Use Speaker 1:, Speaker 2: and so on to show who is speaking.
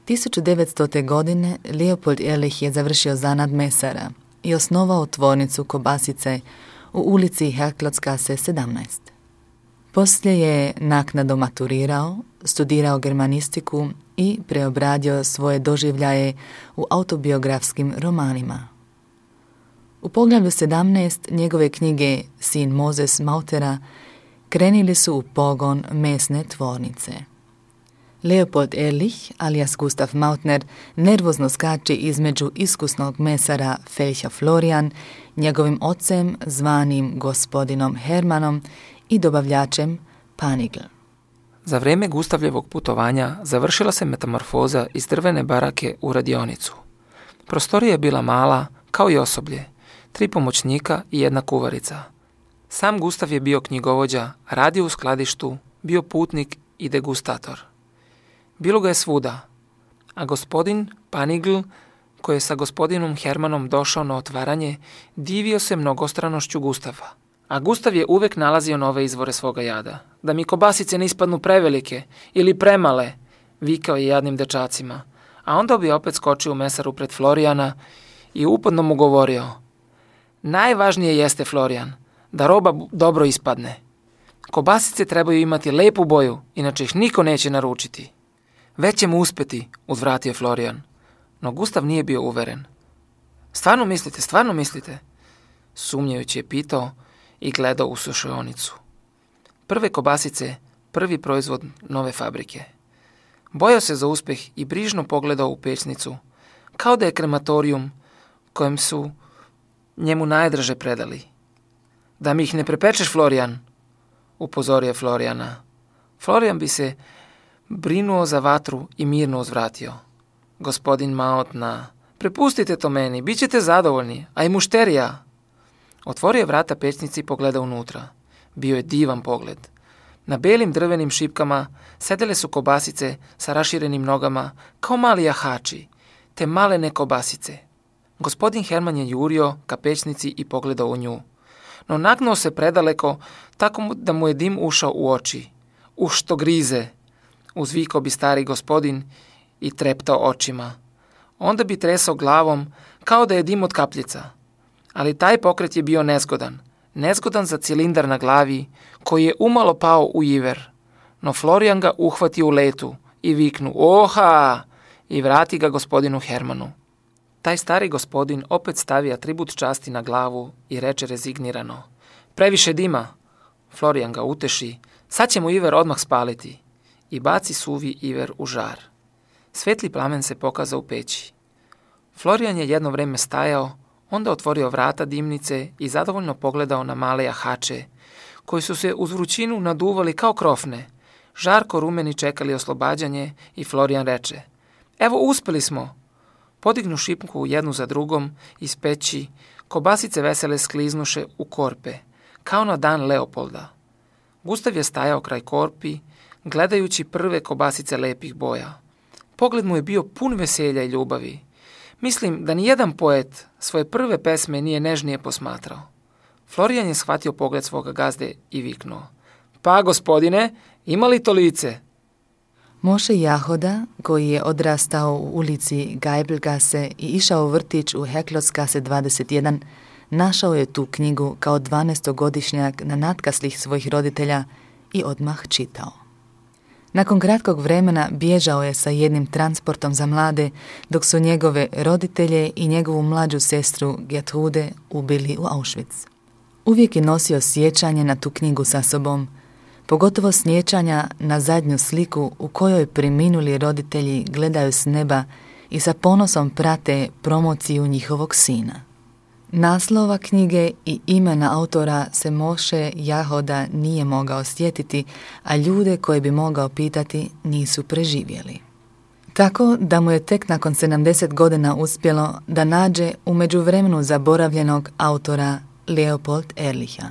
Speaker 1: 1900. godine Leopold Ehrlich je završio zanat mesara i osnovao tvornicu kobasice u ulici Herklotskasse 17. Poslije je naknadno maturirao, studirao germanistiku i preobradio svoje doživljaje u autobiografskim romanima. U poglavlju 17 njegove knjige Sin Moses Mautera krenili su u pogon mesne tvornice. Leopold Ehrlich, alias Gustav Mautner, nervozno skače između iskusnog mesara Felcha Florian, njegovim ocem zvanim gospodinom Hermanom i dobavljačem Panigl.
Speaker 2: Za vrijeme Gustavljevog putovanja završila se metamorfoza iz drvene barake u radionicu. Prostorija je bila mala, kao i osoblje, 3 pomoćnika i 1 kuvarica. Sam Gustav je bio knjigovođa, radio u skladištu, bio putnik i degustator. Bilo ga je svuda, a gospodin Panigl, koji je sa gospodinom Hermanom došao na otvaranje, divio se mnogostranošću Gustava. A Gustav je uvek nalazio nove izvore svoga jada. Da mi kobasice ne ispadnu prevelike ili premale, vikao je jadnim dečacima. A onda bi opet skočio u mesaru pred Florijana i uporno mu govorio: najvažnije jeste, Florijan, da roba dobro ispadne. Kobasice trebaju imati lepu boju, inače ih niko neće naručiti. Već ćemo uspeti, uzvratio Florijan. No Gustav nije bio uveren. Stvarno mislite? Sumnjajući je pitao i gledao u sušaonicu. Prve kobasice, prvi proizvod nove fabrike. Bojao se za uspjeh i brižno pogledao u pećnicu, kao da je krematorijum kojem su njemu najdraže predali. Da mi ih ne prepečeš, Florijan, upozorio Florijana. Florijan bi se brinuo za vatru i mirno uzvratio. Gospodin Mautna, prepustite to meni, bit ćete zadovoljni, a i mušterija. Otvorio je vrata pećnici i pogledao unutra. Bio je divan pogled. Na belim drvenim šipkama sedele su kobasice sa raširenim nogama kao mali jahači, te malene kobasice. Gospodin Herman je jurio ka pećnici i pogledao u nju. No nagnuo se predaleko, tako da mu je dim ušao u oči. Što grize, uzvikao bi stari gospodin i treptao očima. Onda bi tresao glavom kao da je dim od kapljica. Ali taj pokret je bio nezgodan. Nezgodan za cilindar na glavi koji je umalo pao u iver. No Florijan ga uhvatio u letu i viknu oha i vrati ga gospodinu Hermanu. Taj stari gospodin opet stavi atribut časti na glavu i reče rezignirano: previše dima. Florijan ga uteši: sad ćemo iver odmah spaliti. I baci suvi iver u žar. Svetli plamen se pokazao u peći. Florijan je jedno vrijeme stajao, onda otvorio vrata dimnice i zadovoljno pogledao na male jahače, koji su se uz vrućinu naduvali kao krofne. Žarko rumeni čekali oslobađanje i Florijan reče: evo, uspeli smo. Podignu šipku jednu za drugom iz peći, kobasice vesele skliznuše u korpe, kao na dan Leopolda. Gustav je stajao kraj korpi, gledajući prve kobasice lepih boja. Pogled mu je bio pun veselja i ljubavi. Mislim da nijedan poet svoje prve pesme nije nežnije posmatrao. Florijan je shvatio pogled svoga gazde i viknuo: pa, gospodine, ima li to lice?
Speaker 1: Moše Jahoda, koji je odrastao u ulici Geibelgasse i išao u vrtić u Herklotskasse 21, našao je tu knjigu kao 12-godišnjak na natkaslih svojih roditelja i odmah čitao. Nakon kratkog vremena bježao je sa jednim transportom za mlade, dok su njegove roditelje i njegovu mlađu sestru Gertrude ubili u Auschwitz. Uvijek je nosio sjećanje na tu knjigu sa sobom, pogotovo sjećanja na zadnju sliku u kojoj preminuli roditelji gledaju s neba i sa ponosom prate promociju njihovog sina. Naslova knjige i imena autora se Moše Jahoda nije mogao sjetiti, a ljude koje bi mogao pitati nisu preživjeli. Tako da mu je tek nakon 70 godina uspjelo da nađe u međuvremenu zaboravljenog autora Leopold Ehrlicha.